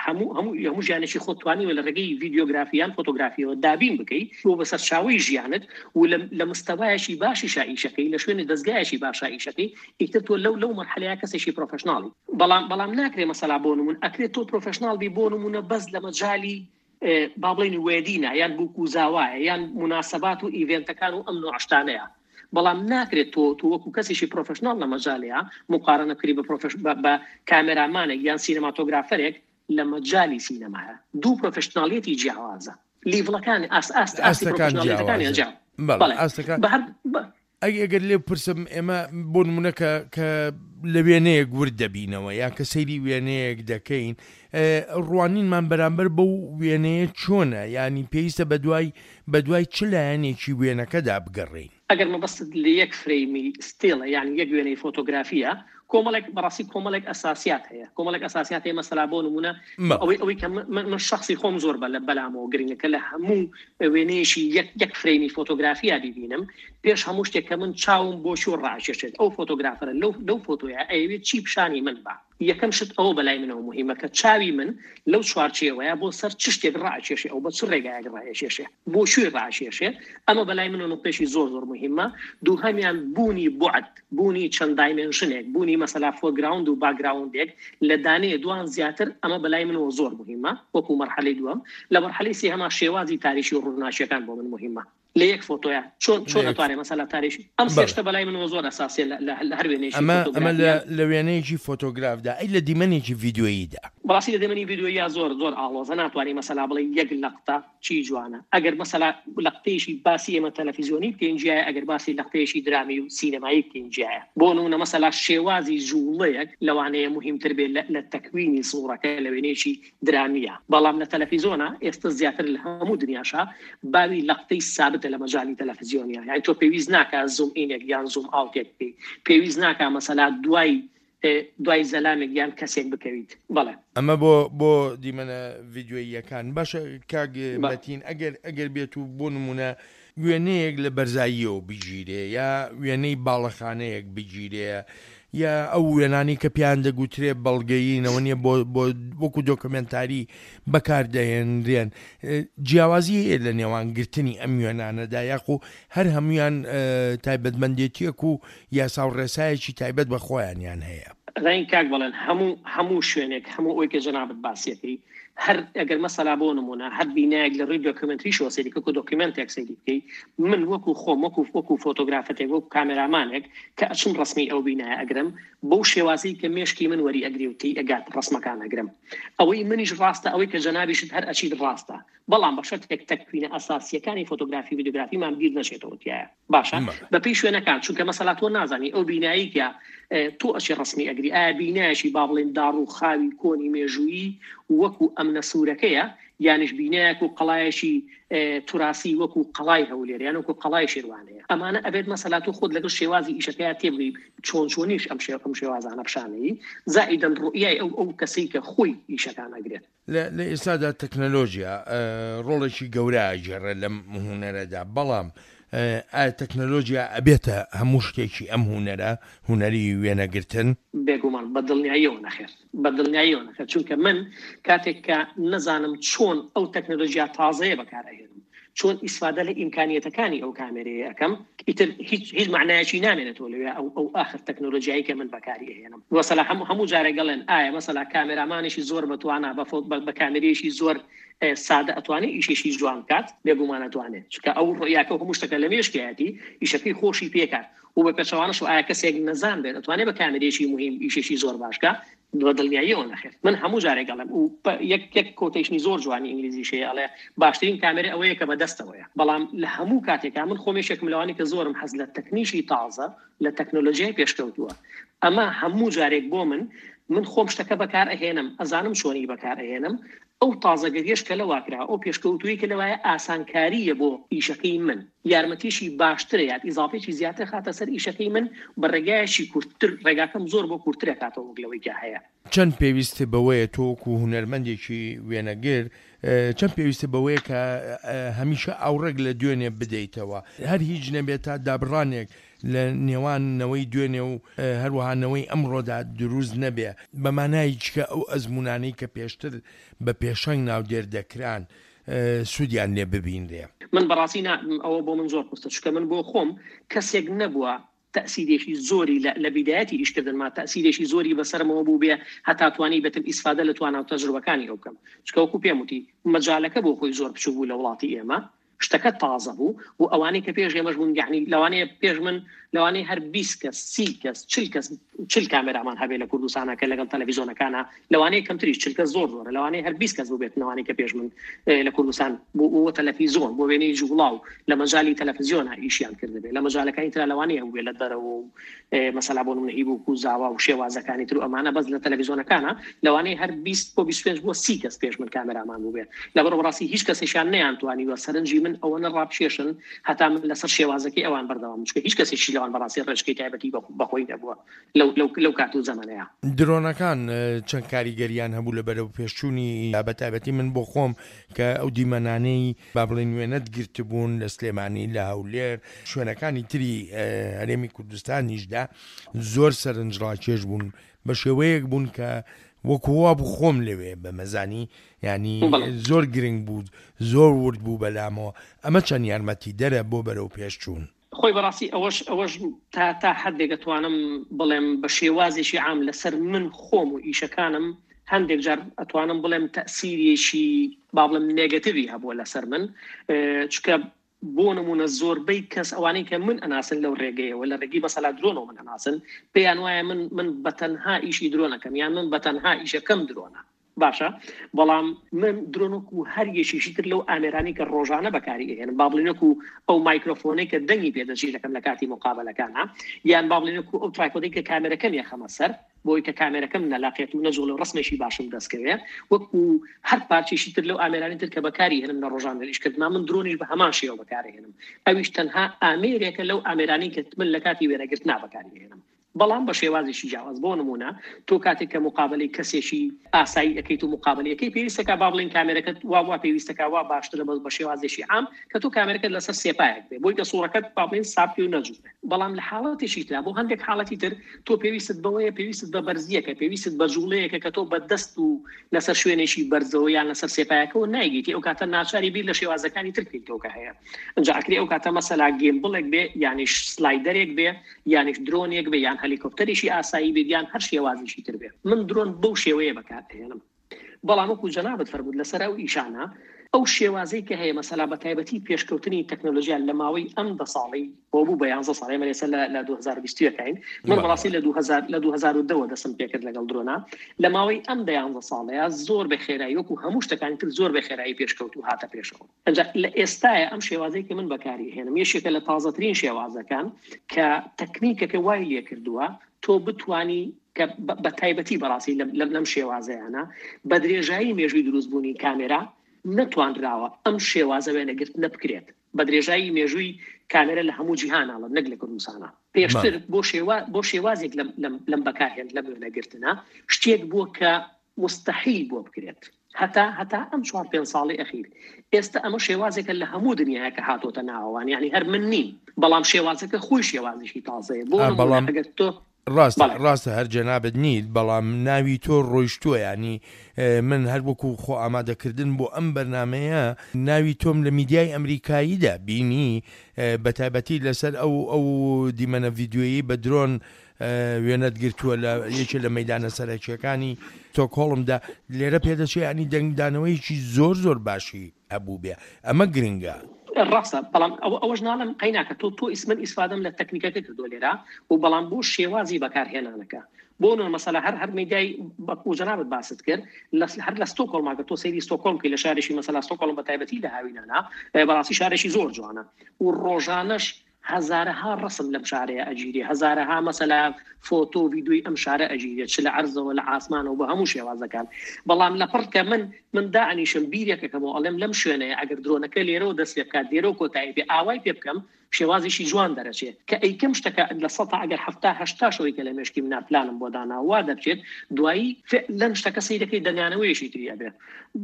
هەموو هەموو هەموو ژیانێکی خۆت توانیوە لە ڕێگەی ڤیدیۆگرافیان فۆتۆگرافیەوە دابین بکەی بۆ بەسەر چاوەی ژیانت و لە مستەوایەکی باشی شائیشەکەی لە شوێنی دەستگایەکی باشا ئیشەکەی، ئیتر تۆ لەو لەو مەرحەلەیە کەسێکی professional ی. بەڵام بەڵام ناکرێ مەسەلا بۆ نمونە ئەکرێت تۆ professional بی بۆ نمونە بەس لە مەجالی با بڵێین wedding ە یان بووک و زاوایە یان موناسبات و event ەکان و ئەم نوع شتانەیە. بەڵام ناکرێت تۆ تۆ وەکو کەسێکی professional لە مەجالەیە مقارنە بکری بە profess بە کامێرامانێک یان cinematographer ێک لە مەجالی سینەمایە. دوو professional یەتی جیاوازە، level ەکان ئاست ئاست ئاستی ئاستەکان professional یەتەکانیان جیاوازن. جیا. بەڵێ بەڵێ ئاستەکان. بە هەر ئەگەر ئەگەر لێ پرسم ئێمە بۆ نمونە کە کە لە وێنەیەک ورد دەبینەوە یا کە سەیری وێنەیەک دەکەین، ڕوانینمان بەرامبەر بەو وێنەیە چۆنە؟ یعنی پێویستە بەدوای بەدوای چ لایەنێکی وێنەکەدا بگەڕێین؟ ئەگەر مەبەستت لە یەک frame ی still ە یعنی یەک وێنەی فۆتۆگرافیە، کۆمەڵێک بەڕاستی کۆمەڵێک ئەساسیات هەیە، کۆمەڵێک ئەساسیات هەیە. مەسەلا بۆ نمونە ئەوەی ئەوەی کە من من شخصی خۆم زۆر بە بەلامەوە گرنگە کە لە هەموو وێنەیەکی یەک یەک frame ی فۆتۆگرافیا ببینم، پێش هەموو شتێک کە من چاوم بۆ چۆ ڕاکێشێت ئەو photographer ە لەو لەو فۆتۆیا ئەیەوێت چی پیشانی من با. یەکەم شت ئەوە بەلای منەوە مهمە کە چاوی من لەو چوارچێوەیە بۆ سەر چ شتێک ڕاکێشێ، ئەو بە چ ڕێگایەک ڕاکێشێ، بۆ کوێ ڕاکێشێ. ئەمە بەلای منەوە نقطەیەکی زۆر زۆر مهمە. دووهەمیان بوونی بوعد، بوونی چەند dimension ێک، بوونی مەسەلا foreground و background ێک لە دانەیە دوان زیاتر، ئەمە بەلای منەوە زۆر مهمە وەکو مەرحەلەی دووەم. لە مەرحەلەی سێهەما شێوازی تاریشی و ڕووناکیەکان بۆ من مهمە لە یەک فۆتۆیا چۆن چۆن ئەتوانێ مەسەلا تاریشی ئەم سێ شتە بەلای منەوە زۆر ئەساسیە لە هەر وێنەیەکی ئەمە ئەمە لە وێنەیەکی فۆتۆگرافدا. ئەی لە دیمەنێکی ڤیدیۆییدا؟ بەڕاستی لە دەمەنی ڤیدیۆیە زۆر زۆر ئاڵۆزە، ناتوانانی مەسەلا بڵێ یەک لەقتە چی جوانە. ئەگەر مەسەلا لەقتەیەکی باسی ئێمە تەلەفیزیۆنی بکەین جیایە، ئەگەر باسی لەقتەیەکی درامی و سینەمایی بکەین جیایە. بۆ نمونە مەسەلا شێوازی جوڵەیەک لەوانەیە مهمتر بێت لە تەکوینی سوورەکە لە وێنەیەکی درامیە، بەڵام لە تەلەفیزیۆنە ئێستا زیاتر لە هەموو دنیاشا باوی لەقتەی سابتە لە مەجالی تەلەفیزیۆنیە. یعنی تۆ پێویست ناکا zoom in ێک یان zoom out ێک بکەی، پێویست ناکا مەسەلا دوای دوای زەلامێک یان کەسێک بکەویت. بەڵێ ئەمە بۆ بۆ دیمەنە ڤیدیۆییەکان. باشە کاک مەتین، ئەگەر ئەگەر بێت و بۆ نمونە وێنەیەک لە بەرزاییەوە بگیرێ یا وێنەی باڵەخانەیەک بگیرێ یا ئەو وێنانی کە پیان دەگوترێ بەڵگەیینەوە نییە بۆ بۆ وەکو دۆکمنتاری بەکاردەهێنرێن، جیاوازی هەیە لە نێوان گرتنی ئەم وێنانەدا یاخو هەر هەمویان تایبەتمەندێتیەک و یاسا و ڕێسایەکی تایبەت بە خۆیانیان هەیە؟ ڕێن کاک بڵێن هەموو هەموو شوێنێک هەموو ئەوی کە جەنابت باسیەکەی هەر ئەگەر مەسەلا بۆ نمونە هەر بینایەک لە ڕووی دۆکیومنتریشەوە سەیری کە دۆکیومنتێک سەیری بکەی، من وەکو خۆم وەکو وەکو فۆتۆگرافەتێک وەکو کامێرامانێک کە ئەچم ڕسمی ئەو بینایە ئەگرم بەو شێوازی کە مێشکی من وەری ئەگری و تێی ئەگات ڕسمەکان ئەگرم. ئەوەی منیش ڕاستە، ئەوەی کە جەنابیشت هەر ئەچیت ڕاستە، بەڵام بە شەرتێک تەکوینە ئەساسیەکانی فۆتۆگرافی ڤیدیۆگرافیمان بیر نەچێتەوە تایە. باشە بەپێی شوێنەکان، چونکە مەسەلا تۆ نازانی ئەو بینایی کە تۆ ئەچی ڕسمی ئەگری ئایا بینایەکی با بڵێن داڕ و خاوی کۆنی مێژوویی وەکو ئەمنە سوورەکەیە، یانیش بینایەک و قەڵایەکی توراسی وەکو قەڵای هەولێر یان وەکو قەڵای شێروانەیە. ئەمانە ئەبێت مەسەلا تۆ خۆت لەگەڵ شێوازی ئیشەکەیا تێبگەی چۆن چۆنیش ئەم شێ ئەم شێوازانە پیشانەیی، زائیدەن ڕوئیای ئەو ئەو کەسەی کە خۆی ئیشەکان ئەگرێت. لە ئێستادا تەکنەلۆژیا ڕۆڵێکی گەورە ئەگێڕێت لەم هونەرەدا، بەڵام ئایا تەکنەلۆژیا ئەبێتە هەموو شتێکی ئەم هونەرە، هونەری وێنەگرتن؟ بێگومان بە دڵنیاییەوە نەخێر، بە دڵنیاییەوە نەخێر، چونکە من کاتێک کە نەزانم چۆن ئەو تەکنەلۆژیا تازەیە بەکارئەهێنم، چۆن ئیسفادە لە ئیمکانیەتەکانی ئەو کامێرەیە ئەەکەم، ئیتر هیچ هیچ معنایەکی نامێنێتەوە لەوێ ئەو ئەو ئاخر تەکنەلۆژیایی کە من بەکاری ئەهێنم. مەسەلا هەموو هەموو جارێک گەڵێن ئایا مەسەلا کامێرامانێکی زۆر بەتوانە بە کامێرەیەکی زۆر سادە ئەتوانێت ئیشێکی جوان بکات؟ بێگومان ئەتوانێت، چونکە ئەو ڕوئیاکە هەموو شتەکە لە مێشکیایەتی ئیشەکەی خۆشی پێکات. و بە پێچەوانەش ئایا کەسێک نەزان بێت ئەتوانێت بە کامێرەیەکی مهم ئیشێکی زۆر باش بکات؟ بە دڵنیاییەوە نەخێر. من هەموو جارێک ئەڵێم و یەک یەک quotation ی زۆر جوانی ئینگلیزیش هەیە ئەڵێ باشترین کامێرە ئەوەیە کە بەدەستەوەیە. بەڵام لە هەموو کاتێکا من خۆمێشێکم لەوانەیە کە زۆرم حەز لە تەکنیکی تازە لە تەکنۆلۆژیای پێشکەوتووە. ئەمە هەموو جارێک بۆ من من خۆم شتەکە بەکار ئەهێنم، ئەزانم چۆنی بەکار ئەهێنم، ئەو تازەگەریش کە لەوا کرا، ئەو پێشکەوتووی کە لەوایە ئاسانکاریە بۆ ئیشەکەی من، یارمەتیشی باشترە یان ئیزافێکی زیاتر خاتە سەر ئیشەکەی من بە ڕێگایەکی کورتتر، ڕێگاکەم زۆر بۆ کورتترە کاتەوە وەک لەوەی کە هەیە. چەند پێویست بەوەیە تۆ وەکو هونەرمەندێکی وێنەگر، چەند پێویستە بەوەیە کە هەمیشە ئاوڕێک لە دوێنێ بدەیتەوە، هەر هیچ نەبێت تا دابڕانێک لە نێوان نەوەی دوێنێ و هەروەها نەوەی ئەمڕۆدا دروست نەبێ، بە مانای چکە ئەو ئەزمونانەی کە پێشتر بە پێشەنگ ناودێر دەکران سوودیان لێ ببینرێ؟ من بەڕاستی ئەوە بۆ من زۆر قورسە، چونکە من بۆ خۆم کەسێک نەبووە تەسیرێکی زۆری لە بیدایەتی ئیشکردنما تەسیرێکی زۆری بەسەرمەوە بوو بێ هەتا توانی بێتم ئیسفادە لە توانا و تەجروبەکانی ئەو بکەم. چونکە وەکو پێم وتی مەجالەکە بۆ خۆی زۆر بچوو بوو لە وڵاتی ئێمە، شتەکە تازە بوو و ئەوانەی کە پێش ئێمەش بوون، یعنی لەوانەیە پێش من لەوانەیە هەر بیست کەس سی کەس چل کەس چل کامێرامان هەبێ لە کوردستانە کە لەگەڵ تەلەڤیزیۆنەکانە، لەوانەیە کەمتریش چل کەس زۆر زۆرە، لەوانەیە هەر بیست کەس بوو بێت لەوانەیە کە پێش من لە کوردستان بۆ بۆ تەلەڤیزیۆن بۆ وێنەی جوڵاو لە مەجالی تەلەڤیزیۆنە ئیشیان کردبێ، لە مەجالەکانی ترا لەوانەیە بوو بێ لە دەرەوە و مەسەلا بۆ نمونە هیبوو و زاوا و شێوازەکانی تر و ئەمانە، بەس لە تەلەڤیزیۆنەکانە لەوانەیە هەر بیست بۆ بیست و پێنج بۆ سی کەس پێش من کامێرامان بوو بێ. لەبەر بەڕاستی هیچ کەسێکیان نەیانتوانیوە سەرنجی من ئەوە نەڕابکێشن هەتا من لەسەر شێوازەکەی ئەوان بەردەوام، چونکە هیچ کەسێکی لەوان بەڕاستی ڕێچکەی تایبەتی بەخۆی نەبووە لەو لەو لەو کات و زەمانەیە. درۆنەکان چەند کاریگەریان هەبوو لە بەرەو پێشچوونی، بە تایبەتی من بۆ خۆم کە ئەو دیمەنانەی با بڵێن وێنەت گرتبوون لە سلێمانی، لە هەولێر، شوێنەکانی تری هەرێمی کوردستانیشدا زۆر سەرنجڕاکێش بوون، بە شێوەیەک بوون کە وەکو وا بوو خۆم لەوێ بەمەزانی، ینی زۆر گرنگ بوو، زۆر ورد بوو بەلامەوە. ئەمە چەند یارمەتی دەرە بۆ بەرەو پێشچوون؟ خۆی بەڕاستی ئەوەش ئەوەش تا تا حدێک ئەتوانم بڵێم بە شێوازێکی عام لەسەر من خۆم و ئیشەکانم هەندێک جار ئەتوانم بڵێم تەسیرێکی با بڵێم نێگەتیڤی هەبووە لەسەر من، چونکە بۆ نمونە زۆربەی کەس ئەوانەی کە من ئەناسن لەو ڕێگەیەوە لە ڕێگەی مەسەلا درۆنەوە من ئەناسن، پێیان وایە من من بەتەنها ئیشی درۆنەکەم یان من بەتەنها ئیشەکەم درۆنە. باشە، بەڵام من درۆن وەکو هەر یەکێکی تر لەو ئامێرانی کە ڕۆژانە بەکاری ئەهێنم، با بڵێین وەکو ئەو مایکرۆفۆنەی کە دەنگی پێدەچی دەکەم لە کاتی مقابلەکانە، یان با بڵێین وەکو ئەو tripod ەی کە کامێرەکەم یەخەمە سەر بۆی کە کامێرەکەم نەلاقێت و نەجوڵێ و ڕسمێکی باشم دەستکەوێ، وەکو هەر پارچێکی تر لەو ئامێرانی تر کە بەکاری هێنم لە ڕۆژانە ئیشکردنا، من درۆنیش بە هەمان شێوە بەکارهێنم. ئەویش تەنها ئامێرێکە لەو ئامێرانی کە من لە کاتی وێنەگرتنا بەکاری هێنم، بەڵام بە شێوازێکی جیاواز. بۆ نمونە تۆ کاتێک کە مقابلەی کەسێکی ئاسایی ئەەکەیت و مقابلەکەی پێویستەکە با بڵێن کامێرەکەت وا وا پێویستەکە وا باشترە بەس بە شێوازێکی عام کە تۆ کامێرەکەت لەسەر سێپایەک بێ بۆی کە سوورەکەت با بڵێن ساپی و نەجوڵێ. بەڵام لە حاڵەتێکی ترا بۆ هەندێک حاڵەتی تر تۆ پێویستت بەوەیە، پێویستت بە بەرزیەکە، پێویستت بە جوڵەیەکە کە تۆ بە دەست و لەسەر شوێنێکی بەرزەوە یان لەسەر سێپایەکەوە نایگیتی، ئەو کاتە ناچاری بیر لە شێوازەکانی تر بکەیتەوە کە هەیە. ئینجا ئەکرێ ئەو کاتە مەسەلا gimbal ێک بێ، یانیش slider ێک بێ، یانیش درۆنێک بێ، یان هەلیکۆپتەرێکی ئاسایی بێت، یان هەر شێوازێکی تر بێ. من درۆن بەو شێوەیە بەکارئەهێنم. بەڵام وەکو جەنابت فەرموود لەسەر ئەو ئیشانە، ئەو شێوازەی کە هەیە مەسەلا بە تایبەتی پێشکەوتنی تەکنەلۆژیا لە ماوەی ئەم دە ساڵەی بۆ بوو بە یانزە ساڵ، ئێمە ئێستا لە دوو هەزار و بیست و یەکین، من بەڕاستی لە دوو هەزار، لە دوو هەزار و دەوە دەستم پێکرد لەگەڵ درۆنا. لە ماوەی ئەم دە یانزە ساڵەیە زۆر بە خێرایی وەکو هەموو شتەکانی تر زۆر بە خێرایی پێشکەوت و هاتە پێشەوە. ئەنجا لە ئێستاە ئەم شێوازەی کە من بەکاری هێنم یەکێکە لە تازەترین شێوازەکان کە تەکنیکەکە وای لێکردووە تۆ بتانی کە بە تایبەتی بەڕاستی لەم شێوازەیانە بە درێژایی مێژووی دروستبوونی کامێرا نەتوانراوە ئەم شێوازە وێنەگرتنە بکرێت. بە درێژایی مێژووی کامێرا لە هەموو جیهاناڵە نەک لە کوردستانە. پێشتر بۆ شێوا بۆ شێوازێک لەم بەکارهێن لەم وێنەگرتنە شتێک بووە کە مستحیل بووە بکرێت هەتا هەتا ئەم چوار پێنج ساڵی ئەخیر. ئێستا ئەمە شێوازێکە لە هەموو دنیاە کە هاتۆتە ناوەوان، یعنی هەر من نیم، بەڵام شێوازەکە خۆی شێوازێکی تازەیە. بۆ بەڵام ئەگەر تۆ ڕاستە ڕاستە هەر جەنابت نیت، بەڵام ناوی تۆ ڕۆیشتووە. ینی من هەر وەکو خۆ ئامادەکردن بۆ ئەم بەرنمەیە ناوی تۆم لە میدیای ئەمریکاییدا بینی، بە تایبەتی لەسەر ئەو ئەو دیمەنە ڤیدیۆیی بە درۆن وێنەت گرتووە لە یەکێ لە مەدانە سەرەکیەکانی ستۆکهۆڵمدا. لێرە پێدەچێ ینی دەنگدانەوەیەکی زۆر زۆر باشی هەبوو بێ، ئەمە گرنگە. ڕاستە، بەڵام ئەوەش ناڵم قەیناکە تۆ تۆ ئیسمن ئیسفادەم لە تەکنیکەکە کردو لێرە و بەڵام بۆ شێوازی بەکارهێنانەکە. بۆ نمونە مەسەلا هەر هەر میدیای وەکو جەنابت باست کرد هەر لە ستۆکهۆڵماکە تۆ سەیری ستۆکهۆڵم بکەی لە شارێکی مەسەلا ستۆکهۆڵم بە تایبەتی لە هاوینانە بەڕاستی شارێکی زۆر جوانە و ڕۆژانەش هەزارەها ڕسم لەم شارەیە ئەگیرێ، هەزارەها مەسەلا فۆتۆ و ڤیدیۆی ئەم شارە ئەگیرێت، چ لە عەرزەوە لە ئاسمانەوە بە هەموو شێوازەکان. بەڵام لەپڕ کە من من دانیشم بیرێکەکەمەوە ئەڵێم لەم شوێنەیە ئەگەر درۆنەکە لێرەوە دەست پێ بکات لێرەوە کۆتایی پێ ئاوای پێ بکەم شێوازێکی جوان دەرەچێت کە ئەیکەم شتەکە لە سەتا ئەگەر هەفتا هەشتاشەوەی کە لە مێشکی منە پلانم بۆ دانا وا دەبچێت، دوایی لەم شتەکە سەیرەکەی دەنگانەوەیەکی تری ئەبێت.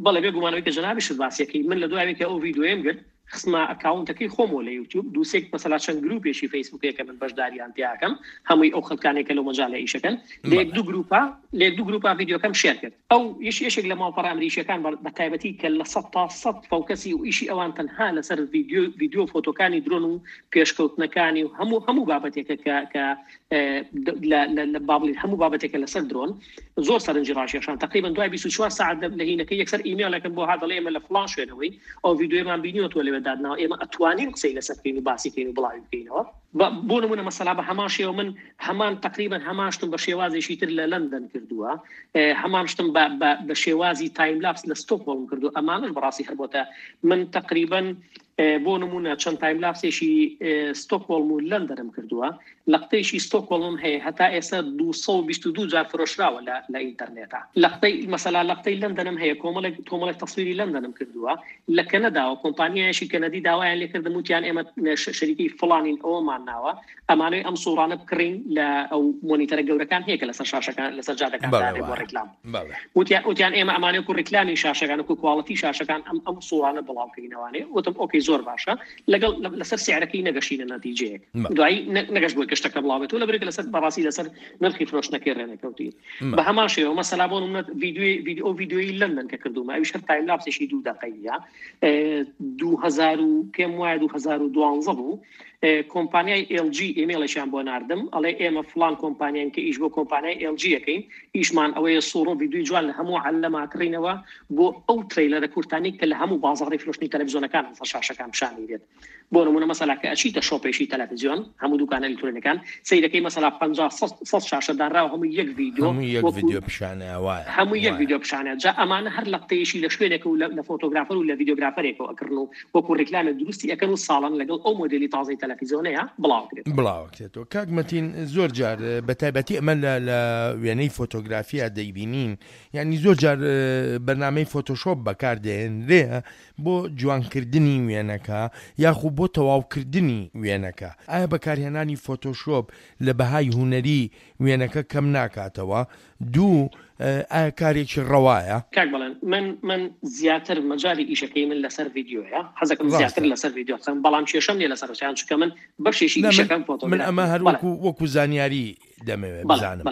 بەڵێ بێگومانەوەی کە جەنابیشت باسیەکەی من لە دوایەوەی کە ئەو ڤیدیۆیەم گرت خستمە account ەکەی خۆمەوە لە یوتیوب، دووسێک مەسەلا چەند گروپێکی فەیسبووکەیە کە من بەشداریان تیاکەم، هەمووی ئەو خەڵکانێک کە لەو مەجالە ئیشەکەن، لە یەک دوو گروپا لە یەک دوو گروپا ڤیدیۆکەم share کرد. ئەو یش یەشێک لە ماڵپەڕە ئەمریکیەکان بە تایبەتی کە لە سەد تا سەد focus ی و ئیشی ئەوان تەنها لەسەر ڤیدیۆ ڤیدیۆ فۆتۆکانی درۆن و پێشکەوتنەکانی و هەموو هەموو بابەتێکە کە کە لە بابڵین هەموو بابەتێکە لەسەر درۆن زۆر سەرنجی ڕاکێشان. تقریبا دوای بیست و چوار ساعت لە هینەکە یەکسەر ئیمێڵێکم بۆ هات دەڵێ ئێمە لە فڵان شوێنەوەی ئەو ڤیدیۆیەمان بینیوە تۆ لەوێ دادناوە، ئێمە ئەتوانین قسەی لەسەر بکەین و باسی بکەین و بڵاوی بکەینەوە. بۆ نمونە مەسەلا بە هەمان شێوە من هەمان تقریبا هەمان شتم بە شێوازێکی تر لە لەندەن کردووە، هەمان شتم بە شێوازی time-lapse لە ستۆکهۆڵم کردووە. ئەمانەش بەڕاستی هەر بۆتە من تقریبا بۆ نمونە چەند time-lapse ێکی ستۆکهۆڵم و لەندەنم کردووە. لەقتەیەکی ستۆکهۆڵم هەیە هەتا ئێستا دوو سەد و بیست و دوو جار فرۆشراوە لە ئینتەرنێتا. لەقتەی مەسەلا لەقتەی لەندەنم هەیە کۆمەڵێک کۆمەڵێک تەسویری لەندەنم کردووە. لە کەنەداوە کۆمپانیایەکی کەنەدی داوایان لێکردم وتیان ئێمە شەریکی فڵانین ئەومان ناوە ئەمانەوەی ئەم سوڕانە بکڕین لە ئەو مۆنیتەرە گەورەکان هەیە کە لەسەر شاشەکان لەسەر جادەکان دانێ بۆ ڕێکلام. وتیان ئێمە ئەمانەوەی وەکو ڕێکلامی شاشەکان وەکو quality شاشەکان ئەم ئەم سوڕانە بڵاوکەینەوانێ. وتم okay زۆر باشە، لەگەڵ لەسەر سعرەکەی نەگەشتینە نەتیجەیەک، دوایی نەگەشت بۆی گەشتەکە بڵاوبێتەوە لەبەرێک لەسەر بەڕاستی لەسەر نرخی فرۆشتنەکەی ڕێنەکەوتی. بە هەمان شێوە مەسەلا بۆ نمونە ڤیدیۆی ڤیدیۆ ڤیدیۆی لەندەن کە کردوومە ئەویش هەر time-lapse ێکی دوو دەقەیە، دوو هەزار و پێم وایە دوو هەزار و دوانزە بوو. کۆمپانیای ئێل جی ئیمەیڵێکیان بۆ ناردم، ئەڵێ ئێمە فلان کۆمپانیان کە ئیش بۆ کۆمپانیای ئێل جی ئەکەین، ئیشمان ئەوەیە سوڕ و ڤیدیۆی جوان لە هەموو عەلەما کڕینەوە بۆ ئەو trailer ە کورتانی کە لە هەموو بازاڕی فرۆشتنی تەلەڤیزیۆنەکان لەسەر شاشەکان پیشانی بێت. بۆ نمونە مەسەلا کە ئەچیتە shop ێکی تەلەڤیزیۆن، هەموو دوکانە ئەلکترۆنیەکان سەیرەکەی مەسەلا پەنجا سەد شاشە دانراوە، هەموو یەک ڤیدیۆ، هەموو یەک ڤیدیۆ پیشانە، وایە هەموو یەک ڤیدیۆ پیشانە. جا ئەمانە هەر لەقتەیەشی لە شوێنێک و لە photographer و لە videographer ێکەوە ئەکڕن و وەکو ڕیکلامێک دروستی ئەکەن و ساڵان لەگەڵ ئەو مۆدێلی تازەی تەلەڤیزیۆنەیە بڵاوکرێتەوە. بڵاوکرێتەوە. کاک مەتین، زۆر جار بە تایبەتی ئەمە لە وێنەی فۆتۆگرافیا دەیبینین، یعنی زۆر جار بەرنامەی فۆتۆشۆپ بەکاردێنرێ بۆ جوانکردنی وێنەکە یاخو بۆ تەواوکردنی وێنەکە. ئایا بەکارهێنانی فۆتۆشۆپ لە بەهای هونەری وێنەکە کەم ناکاتەوە؟ دوو، ئایا کارێکی ڕەوایە؟ کاک بەڵێن، من من زیاتر مەجالی ئیشەکەی من لەسەر ڤیدیۆیە، حەزەکەم زیاتر لەسەر ڤیدیۆ قسەم، بەڵام کێشەم نییە لەسەر وسیان، چونکە من بەشێکی ئیشەکەم فۆتۆگرافی. من ئەمە هەر وەکو وەکو زانیاری دەمەوێت بزانم.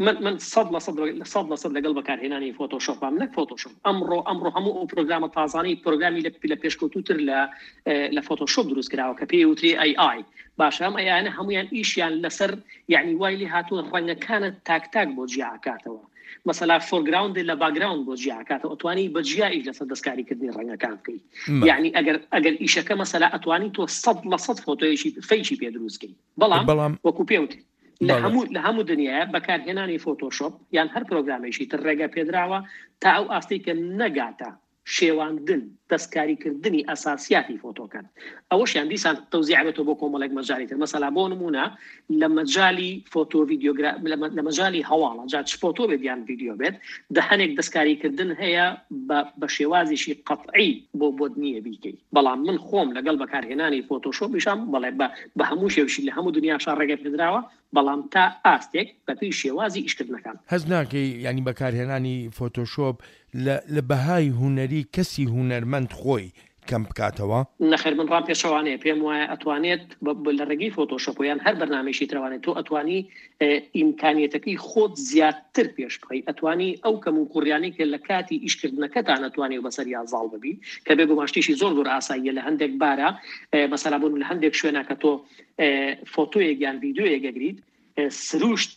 من من سەد لە سەد سەد لە سەد لەگەڵ بەکارهێنانی فۆتۆشۆپام، نەک فۆتۆشۆپ. ئەمڕۆ ئەمڕۆ هەموو ئەو پرۆگرامە تازانەی پرۆگرامی لە پێشکەوتوتر لە لە فۆتۆشۆپ دروست کراوە کە پێی وترێ ئەی ئای. باشە، ئەم ئەیانە هەمویان ئیشیان لەسەر یعنی وای لێ هاتووە ڕەنگەکانت تاک تاک بۆ جیاکاتەوە. مەسەلا foreground لە background بۆ جیاکاتەوە، ئەتوانی بە جیا ئیش لەسەر دەستکاریکردنی ڕەنگەکان بکەیت. یعنی ئەگەر ئەگەر ئیشەکە مەسەلا ئەتوانی تۆ سەد لە سەد فۆتۆیەکی fake ی پێ دروست بکەیت، بەڵام وەکو پێ وترێ لە هەموو لە هەموو دنیاە بەکارهێنانی فۆتۆشۆپ یان هەر پرۆگرامێکی تر ڕێگە پێدراوە تا ئەو ئاستەی کە نەگاتە شێواندن دەستکاریکردنی ئەساسیاتی فۆتۆکان. ئەوەشیان دیسان تەوزیع بێتەوە بۆ کۆمەڵێک مەجالی تر. مەسەلا بۆ نمونە لە مەجالی فۆتۆ ڤیدیۆگرا لە مەجالی هەواڵە، جا چ فۆتۆ بێت یان ڤیدیۆ بێت، دە هەنێک دەستکاریکردن هەیە بە شێوازێکی قەتعی بۆ بۆت نییە بیکەی. بەڵام من خۆم لەگەڵ بەکارهێنانی فۆتۆشۆپیشام بەڵێ بە هەموو شێوشی لە هەموو دنیاشا ڕێگە پێدراوە، بەڵام تا ئاستێک بەپێی شێوازی ئیشکردنەکان. هەز ناکەی ینی بەکارهێنانی فۆتۆشۆپ لە بەهای هونەری کەسی هونەرمەند خۆی کەم بکاتەوە؟ نەخێر، من ڕام پێشەوانەیە. پێم وایە ئەتوانێت لە ڕێگەی فۆتۆشۆپ یان هەر بەرنامەیەکی ترەوانێت تۆ ئەتوانی ئیمکانیەتەکەی خۆت زیاتر پێش بخەی، ئەتوانی ئەو کەم و کوڕیانەی کە لە کاتی ئیشکردنەکەتان ئەتوانی بەسەریا زاڵ ببی، کە بێگومان شتێکی زۆر زۆر ئاساییە لە هەندێک بارە. مەسەلا بۆ لە هەندێک شوێنە کە تۆ فۆتۆیەک یان ڤیدیۆیەک ئەگریت، سروشت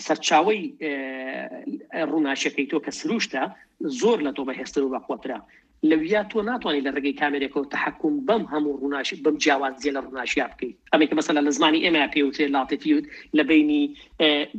سەرچاوەی ڕووناکیەکەی تۆ کە سروشتە زۆر لە تۆ بەهێزتر و بەقوەترە. لەویا تۆ ناتوانانی لە ڕێگەی کامێرێکەوە تەحەکوم بەم هەموو ڕووناکی بەم جیاوازیە لە ڕووناکیا بکەیت. ئەمەی کە مەسەلا لە زمانی ئێمە پێوترێ latitude، لە بینی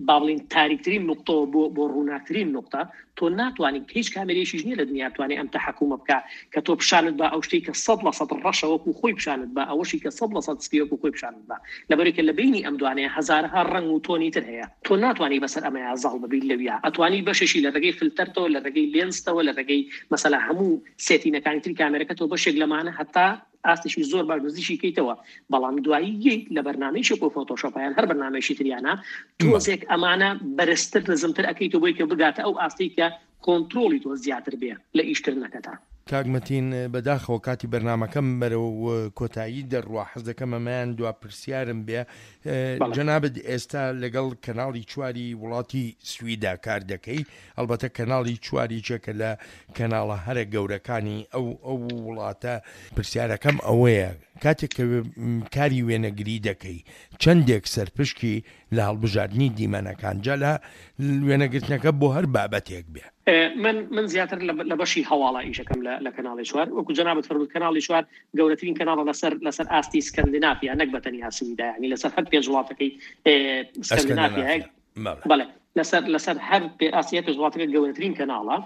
با بڵێین تاریکترین نقطەوە بۆ بۆ ڕووناکترین نقطە، تۆ ناتوانانی هیچ کامێرێکیش نییە لە دنیا توانێت ئەم تەحەکومە بکە کە تۆ پیشانت بە ئەو شتێک کە سەد لە سەد ڕەشە وەکو خۆی پیشانت بە، ئەوەشی کە سەد لە سەد سپی وەکو خۆی پیشانت بە. لەبەرێکە لە بینی ئەم دوانەیە هەزارەها ڕەنگ و تۆنی تر هەیە، تۆ ناتوانانی بەسەر ئەمەیا زاڵ ببیت لەویا. ئەتوانی بەشێکی لە ڕێگەی فلتەرتەوە، لە ڕێگەی lens تەوە، لە ڕێگەی مەسەلا هەموو setting ەکانی تری کامێرەکەتەوە بەشێک لەمانە هەتا ئاستێکی زۆر باش نزیکی کەیتەوە. بەڵام دوایی یەک لە بەرنامەیەکی وەکو فۆتۆشۆپ یان هەر بەرنامەیەکی تریانە تۆزێک ئەمانە بەرزتر نزمتر ئەکەیتەوە بۆی کە بگاتە ئەو ئاستەی کە کۆنترۆڵی تۆ زیاتر بێ لە ئیشکردنەکەتا. کاک مەتین، بەداخەوە کاتی بەرنامەکەم بەرەو کۆتایی دەڕوا، حەز دەکەم ئەمەیان دوا پرسیارم بێ. جەنابت ئێستا لەگەڵ کەناڵی چواری وڵاتی سویدا کار دەکەی، ئەلبەتە کەناڵی چواریچێکە لە کەناڵە هەرە گەورەکانی ئەو ئەو وڵاتە. پرسیارەکەم ئەوەیە کاتێک کە کاری وێنەگری دەکەی چەندێک سەرپشکی لە هەڵبژاردنی دیمەنەکان، جا لە وێنەگرتنەکە بۆ هەر بابەتێک بێ؟ من من زیاتر لە بەشی هەواڵە ئیشەکەم لە کەناڵی چوار. وەکو جەنابت فەرمووت کەناڵی چوار گەورەترین کەناڵە لەسەر لەسەر ئاستی سکەندینافیا، نەک بە تەنیا سویدا، یعنی لەسەر هەر پێنج وڵاتەکەی سکەندینافیا. بەڵێ، لەسەر لەسەر هەر ئاستی پێنج وڵاتەکە گەورەترین کەناڵە.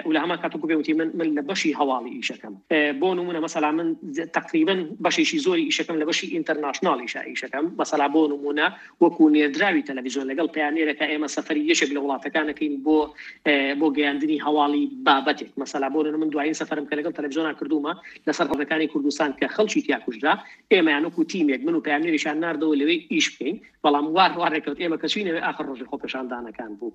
و لە هەمان کاتەوە پێ وتی من من لە بەشی هەواڵی ئیشەکەم. بۆ نمونە مەسەلا من تقریبا بەشێکی زۆری ئیشەکەم لە بەشی international ئیشە ئیشەکەم. مەسەلا بۆ نمونە وەکو نێردراوی تەلەڤیزیۆن لەگەڵ پەیامنێرەکە ئێمە سەفەری یەکێک لە وڵاتەکانەکەین بۆ بۆ گەیاندنی هەواڵی بابەتێک. مەسەلا بۆ نمونە من دوایین سەفەرم کە لەگەڵ تەلەڤیزیۆنا کردوومە لەسەر ڕێگەکانی کوردستان کە خەڵکی تیا کوژرا، ئێمەیان وەکو تیمێک من و پەیامنێریشان ناردەوە لەوێ ئیش بکەین. بەڵام وار وار ڕێکەوت ئێمە کە چووینەوە ئاخر ڕۆژی خۆپێشاندان سەردانەکان بوو.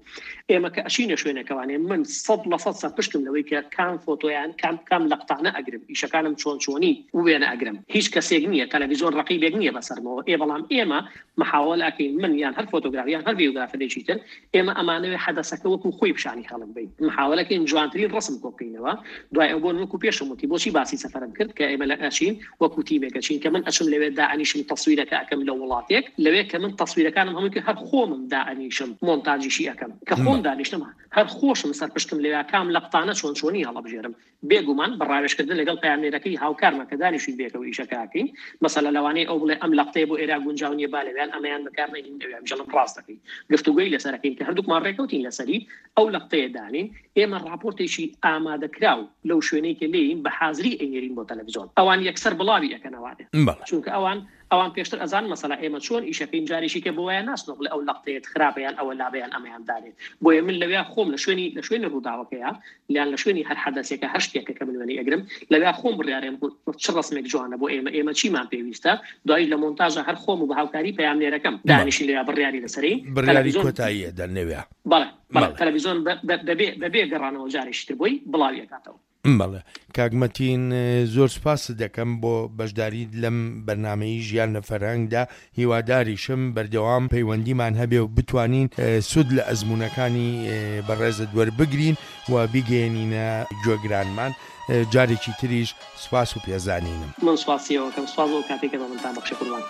ئێمە کە ئەچینە شوێنەکەوانێ من سەد لە سەد سەرپشکم لەوەی کە کام فۆتۆیان کام کام لەقتانە ئەگرم، ئیشەکانم چۆن چۆنی وێنە ئەگرم. هیچ کەسێک نییە، تەلەڤیزیۆن ڕقیبێک نییە بەسەرمەوە. ئێ بەڵام ئێمە محاوەلە ئەکەین من یان هەر فۆتۆگراف یان هەر ڤیدیۆگرافەرێکی تر، ئێمە ئەمانەوێ حەدەسەکە وەکو خۆی پیشانی خەڵک بین، محاوەلەکەین جوانترین ڕسم کۆ بکەینەوە. دوای ئەو بۆن وەکو پێشم وتی بۆچی باسی سەفەرم کرد کە ئێمە لە ئەچین وەکو تیمێکە چین کە من ئەچم لەوێ دائەنیشم تەسویرەکە ئەکەم لە وڵاتێک، لەوێ کە من تەسویرەکانم هەمووی کە هەر خۆمم دائەنیشم مۆنتاجیشی ئەکەم، کە خۆم دانیشتم هەر خۆشم سەرپشتم لەوێ کام لەقتانە چۆن چۆنی هەڵبژێرم. بێگومان بە ڕاوێژکردن لەگەڵ پەیامنێرەکەی هاوکارمە کە دانیشین بێکەوە ئیشەکەکەین، مەسەلە لەوانەیە ئەو بڵێ ئەم لەقتەیە بۆ ئێرا گونجاو نییە با لەویان ئەمەیان بەکارنەهێنین، ئەویان بژەڵم ڕاست دەکەین. گفتوگۆی لەسەرەکەین کە هەردووکمان ڕێکەوتین لەسەری ئەو لەقتەیە دانین. ئێمە راپۆرتێکی ئامادەکراو لەو شوێنەی کە لێین بە حازری ئەینێرین بۆ تەلەڤیزیۆن، ئەوان یەکسەر بڵاوی ئەکەنەوانێ، چونکە ئەوان ئەوان پێشتر ئەزان مەسەلا ئێمە چۆن ئیشەکەین، جارێکی کە بۆ وایە ناسنەوە بڵێ ئەو لەقتەیەت خراپە یان ئەوە لابەیان ئەمەیان دانێت. بۆیە من لەویا خۆم لە شوێنی لە شوێنی ڕووداوەکەیە یان لە شوێنی هەر حەدەسێکە هەر شتێکە کە من وێنەی ئەگرم لەویا خۆم بڕیارێم چ ڕسمێک جوانە بۆ ئێمە، ئێمە چیمان پێویستە. دوایی لە مۆنتاژە هەر خۆم و بە هاوکاری پەیامنێرەکەم دانیشین لەویا بڕیاری لەسەرین، بڕیاری کۆتاییە دەن لەویا. بەڵێ بەڵێ تەلەڤیزیۆن بەبێ بەبێ گەڕانەوە جارێکی تر بۆی بڵاوی ئەکاتەوە. بەڵێ کاک مەتین زۆر سپاست دەکەم بۆ بەشداریت لەم بەرنامەی ژیان لە فەرهەنگدا. هیواداریشم بەردەوام پەیوەندیمان هەبێ و بتوانین سوود لە ئەزمونەکانی بەڕێزت وەربگرین و بیگەیەنینە گوێگرانمان. جارێکی تریش سپاس و پێزانینم. من سپاسیەوەکەم، سپاس بۆ کاتێکە بە منتان بەخشی قوربان.